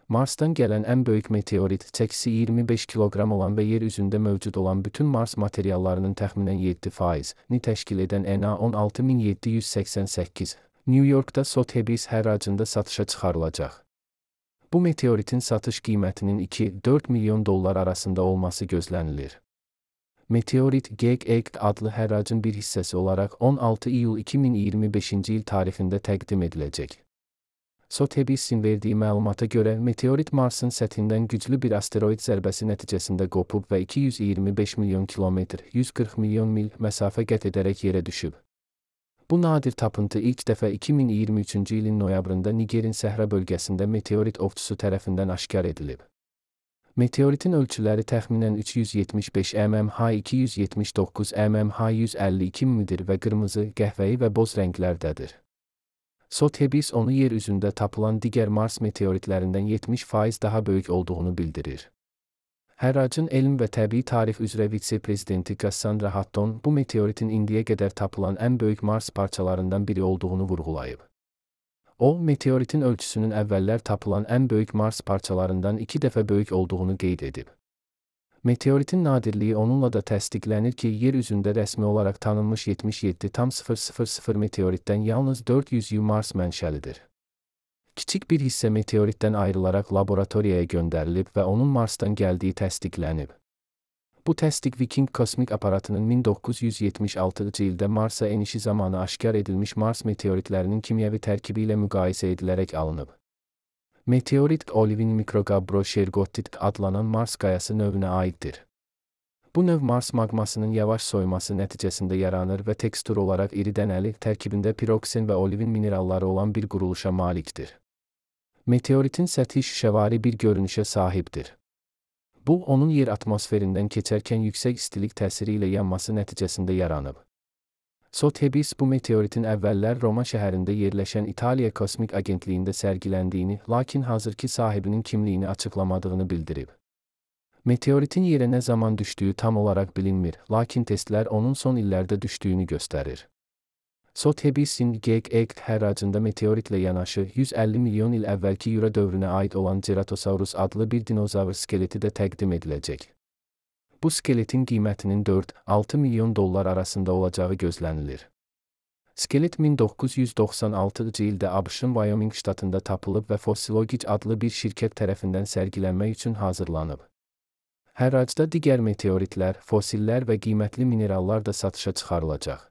Marsdan gələn ən böyük meteorit çəkisi 25 kiloqram olan və yer üzündə mövcud olan bütün Mars materiallarının təxminən 7%-ni təşkil edən NA 16788, New Yorkda Sotheby's hərracında satışa çıxarılacaq. Bu meteoritin satış qiymətinin 2-4 milyon dollar arasında olması gözlənilir. Meteorit GEG adlı hərracın bir hissəsi olaraq 16 iyul 2025-ci il tarixində təqdim ediləcək. Sotheby's'in verdiyi məlumata görə meteorit Marsın səthindən güclü bir asteroid zərbəsi nəticəsində qopub və 225 milyon kilometr, 140 milyon mil məsafə qət edərək yerə düşüb. Bu nadir tapıntı ilk dəfə 2023-cü ilin noyabrında Nigerin səhra bölgəsində meteorit ovçusu tərəfindən aşkar edilib. Meteoritin ölçüləri təxminən 375 mmH, 279 mmH, 152 mm'dir və qırmızı, qəhvəyi və boz rənglərdədir. Sotheby's onu yer üzündə tapılan digər Mars meteoritlərindən 70% daha böyük olduğunu bildirir. Hərracın elm və təbii tarix üzrə vitse-prezidenti Cassandra Hutton bu meteoritin indiyə qədər tapılan ən böyük Mars parçalarından biri olduğunu vurğulayıb. O, meteoritin ölçüsünün əvvəllər tapılan ən böyük Mars parçalarından 2 dəfə böyük olduğunu qeyd edib. Meteoritin nadirliyi onunla da təsdiqlənir ki, yer üzündə rəsmi olaraq tanınmış 77,000 meteoritdən yalnız 400-ü Mars mənşəlidir. Kiçik bir hissə meteoritdən ayrılaraq laboratoriyaya göndərilib və onun Marsdan gəldiyi təsdiqlənib. Bu təsdiq Viking kosmik aparatının 1976-cı ildə Marsa enişi zamanı aşkar edilmiş Mars meteoritlərinin kimyəvi tərkibi ilə müqayisə edilərək alınıb. Meteorit Olivin Microgabbro Shergottit adlanan Mars qayası növünə aiddir. Bu növ Mars maqmasının yavaş soyması nəticəsində yaranır və tekstur olaraq iri dənəli, tərkibində piroksen və olivin mineralları olan bir quruluşa malikdir. Meteoritin səthi şüşəvari bir görünüşə sahibdir. Bu, onun yer atmosferindən keçərkən yüksək istilik təsiri ilə yanması nəticəsində yaranıb. Sotheby's bu meteoritin əvvəllər Roma şəhərində yerləşən İtaliya Kosmik Agentliyində sərgiləndiyini, lakin hazırki sahibinin kimliyini açıqlamadığını bildirib. Meteoritin yerə nə zaman düşdüyü tam olaraq bilinmir, lakin testlər onun son illərdə düşdüyünü göstərir. Sotheby's'in GEG hərracında meteoritlə yanaşı 150 milyon il əvvəlki Yura dövrünə aid olan Ceratosaurus adlı bir dinozavr skeleti də təqdim ediləcək. Bu skeletin qiymətinin 4-6 milyon dollar arasında olacağı gözlənilir. Skelet 1996-cı ildə ABŞ-ın Wyoming ştatında tapılıb və Fossilogic adlı bir şirkət tərəfindən sərgilənmək üçün hazırlanıb. Hərracda digər meteoritlər, fossillər və qiymətli minerallar da satışa çıxarılacaq.